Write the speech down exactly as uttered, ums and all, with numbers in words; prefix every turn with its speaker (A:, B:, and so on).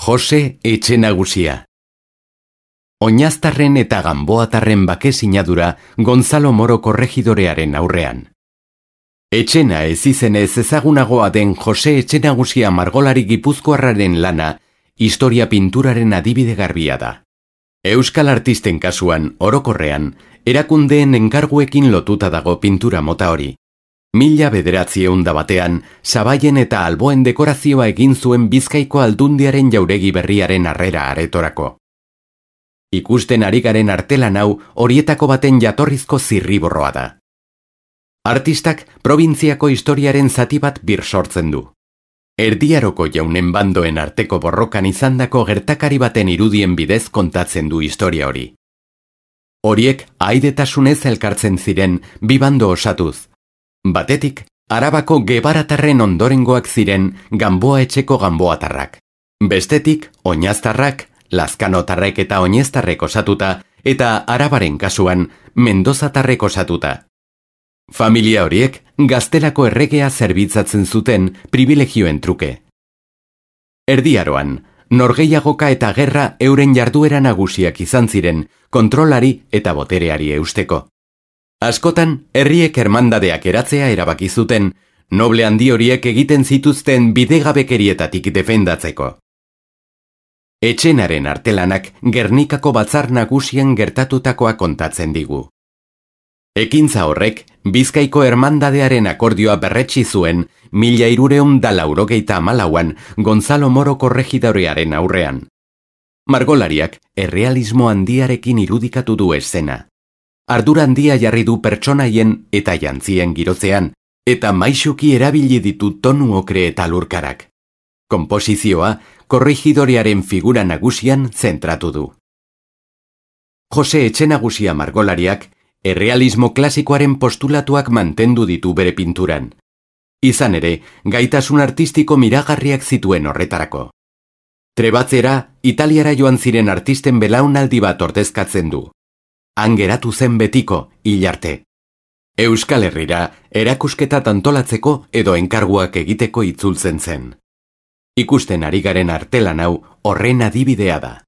A: Jose Etxenagusia. Oñaztarren eta Ganboatarren bake sinadura Gonzalo Moro korregidorearen aurrean. Etxena ez izenez ezagunagoa den Jose Etxenagusia margolari gipuzkoarraren lana historia pinturaren adibide garbia da. Euskal artisten kasuan, orokorrean, erakundeen enkarguekin lotuta dago pintura mota hori. Mila bederatziehun da batean, sabaien eta alboen dekorazioa egin zuen Bizkaiko aldundiaren jauregi berriaren harrera aretorako. Ikusten ari garen artelan hau horietako baten jatorrizko zirriborroa da. Artistak probintziako historiaren zati bat bir sortzen du. Erdiaroko jaunen bandoen arteko borrokan izandako gertakari baten irudien bidez kontatzen du historia hori. Horiek aidetasunez elkartzen ziren bi bando osatuz. Batetik, Arabako Gebaratarren ondorengoak ziren Ganboa etxeko Ganboatarrak. Bestetik, Oñaztarrak, Lazkanotarrek eta Oñeztarrek osatuta, eta Arabaren kasuan, Mendozatarrek osatuta. Familia horiek gaztelako erregea zerbitzatzen zuten privilegioen truke. Erdiaroan, norgehiagoka eta gerra euren jarduera nagusiak izan ziren kontrolari eta botereari eusteko. Askotan, herriek hermandadeak eratzea erabaki zuten, noble handi horiek egiten zituzten bidegabekerietatik defendatzeko. Etxenaren artelanak Gernikako batzar nagusien gertatutakoa kontatzen digu. Ekintza horrek, Bizkaiko hermandadearen akordioa berretsi zuen mila hirureun da laurogeita hamalauan Gonzalo Moro korregidorearen aurrean. Margolariak errealismo handiarekin irudikatu du eszena. Ardura handia jarri du pertsonaien eta jantzien girotzean, eta maisuki erabili ditu tonu okre eta lurkarak. Konposizioa korregidorearen figura nagusian zentratu du. Jose Etxenagusia margolariak errealismo klasikoaren postulatuak mantendu ditu bere pinturan. Izan ere, gaitasun artistiko miragarriak zituen horretarako. Trebatzera, Italiara joan ziren artisten belaunaldi bat ordezkatzen du. Han geratu zen betiko, hil arte. Euskal Herrira, erakusketa antolatzeko edo enkarguak egiteko itzultzen zen. Ikusten ari garen artelan hau horren adibidea da.